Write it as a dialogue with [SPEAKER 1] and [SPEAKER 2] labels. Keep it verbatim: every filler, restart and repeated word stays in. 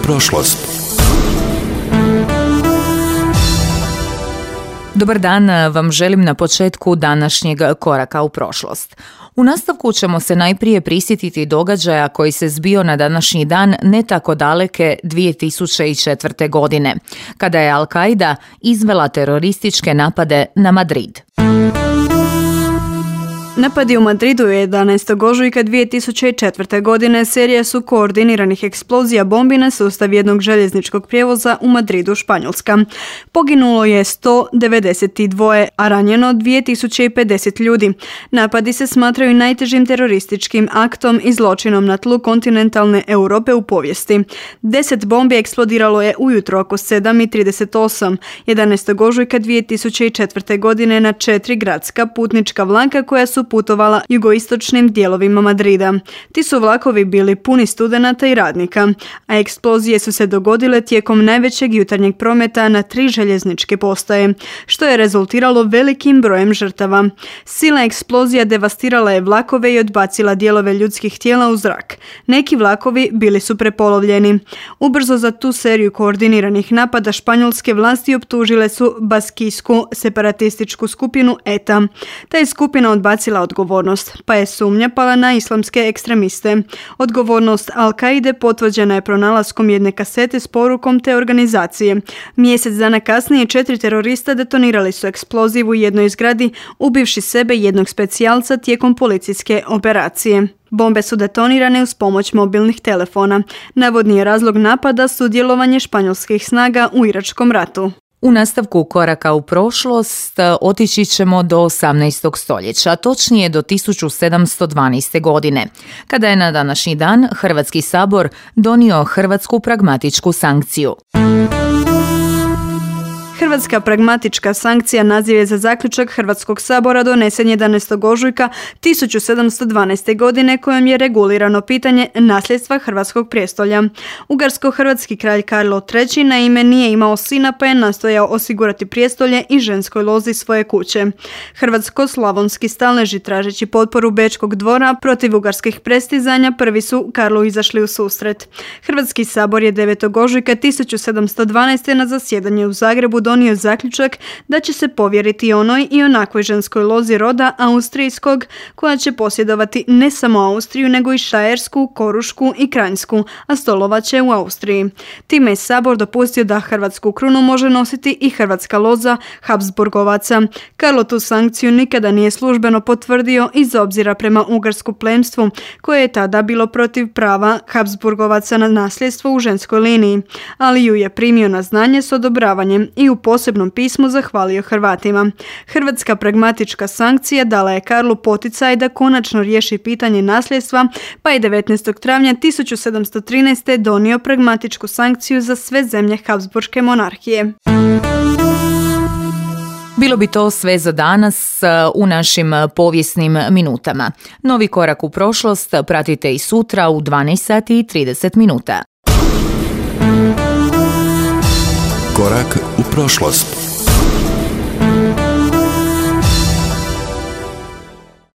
[SPEAKER 1] prošlost.
[SPEAKER 2] Dobar dan vam želim na početku današnjeg koraka u prošlost. U nastavku ćemo se najprije prisjetiti događaja koji se zbio na današnji dan ne tako daleke dvije tisuće četvrte. godine, kada je Al-Qaida izvela terorističke napade na Madrid.
[SPEAKER 3] Napadi u Madridu jedanaestog ožujka dvije tisuće četvrte. godine serija su koordiniranih eksplozija bombi na sustav jednog željezničkog prijevoza u Madridu, Španjolska. Poginulo je sto devedeset dva, a ranjeno dvije tisuće pedeset ljudi. Napadi se smatraju najtežim terorističkim aktom i zločinom na tlu kontinentalne Europe u povijesti. Deset bombi eksplodiralo je ujutro oko sedam i trideset osam jedanaestog ožujka dvije tisuće četvrte. godine na četiri gradska putnička vlaka koja su putovala jugoistočnim dijelovima Madrida. Ti su vlakovi bili puni studenata i radnika, a eksplozije su se dogodile tijekom najvećeg jutarnjeg prometa na tri željezničke postaje, što je rezultiralo velikim brojem žrtava. Silna eksplozija devastirala je vlakove i odbacila dijelove ljudskih tijela u zrak. Neki vlakovi bili su prepolovljeni. Ubrzo za tu seriju koordiniranih napada španjolske vlasti optužile su baskijsku separatističku skupinu E T A. Ta je skupina odbacila odgovornost, pa je sumnja pala na islamske ekstremiste. Odgovornost Al-Qaide potvrđena je pronalaskom jedne kasete s porukom te organizacije. Mjesec dana kasnije četiri terorista detonirali su eksploziv u jednoj zgradi, ubivši sebe jednog specijalca tijekom policijske operacije. Bombe su detonirane uz pomoć mobilnih telefona. Navodni je razlog napada sudjelovanje španjolskih snaga u Iračkom ratu.
[SPEAKER 2] U nastavku koraka u prošlost otići ćemo do osamnaestog. stoljeća, točnije do tisuću sedamsto dvanaeste. godine, kada je na današnji dan Hrvatski sabor donio Hrvatsku pragmatičku sankciju.
[SPEAKER 3] Hrvatska pragmatička sankcija naziv je za zaključak Hrvatskog sabora donesen jedanaestog ožujka tisuću sedamsto dvanaeste. godine kojom je regulirano pitanje nasljedstva hrvatskog prijestolja. Ugarsko-hrvatski kralj Karlo treći naime nije imao sina pa je nastojao osigurati prijestolje i ženskoj lozi svoje kuće. Hrvatsko-slavonski stalneži tražeći potporu Bečkog dvora protiv ugarskih prestizanja prvi su Karlu izašli u susret. Hrvatski sabor je devetog ožujka tisuću sedamsto dvanaeste. na zasjedanje u Zagrebu donio zaključak da će se povjeriti onoj i onakvoj ženskoj lozi roda austrijskog koja će posjedovati ne samo Austriju nego i Štajersku, Korušku i Kranjsku, a stolovat će u Austriji. Time je sabor dopustio da hrvatsku krunu može nositi i hrvatska loza Habsburgovaca. Karlo tu sankciju nikada nije službeno potvrdio iz obzira prema ugarsku plemstvu koje je tada bilo protiv prava Habsburgovaca na nasljedstvo u ženskoj liniji, ali ju je primio na znanje s odobravanjem i u posebnom pismu zahvalio Hrvatima. Hrvatska pragmatička sankcija dala je Karlu poticaj da konačno riješi pitanje nasljedstva, pa je devetnaestog travnja tisuću sedamsto trinaeste. donio pragmatičku sankciju za sve zemlje Habsburške monarhije.
[SPEAKER 2] Bilo bi to sve za danas u našim povijesnim minutama. Novi korak u prošlost pratite i sutra u dvanaest sati i trideset minuta.
[SPEAKER 1] Korak u prošlost.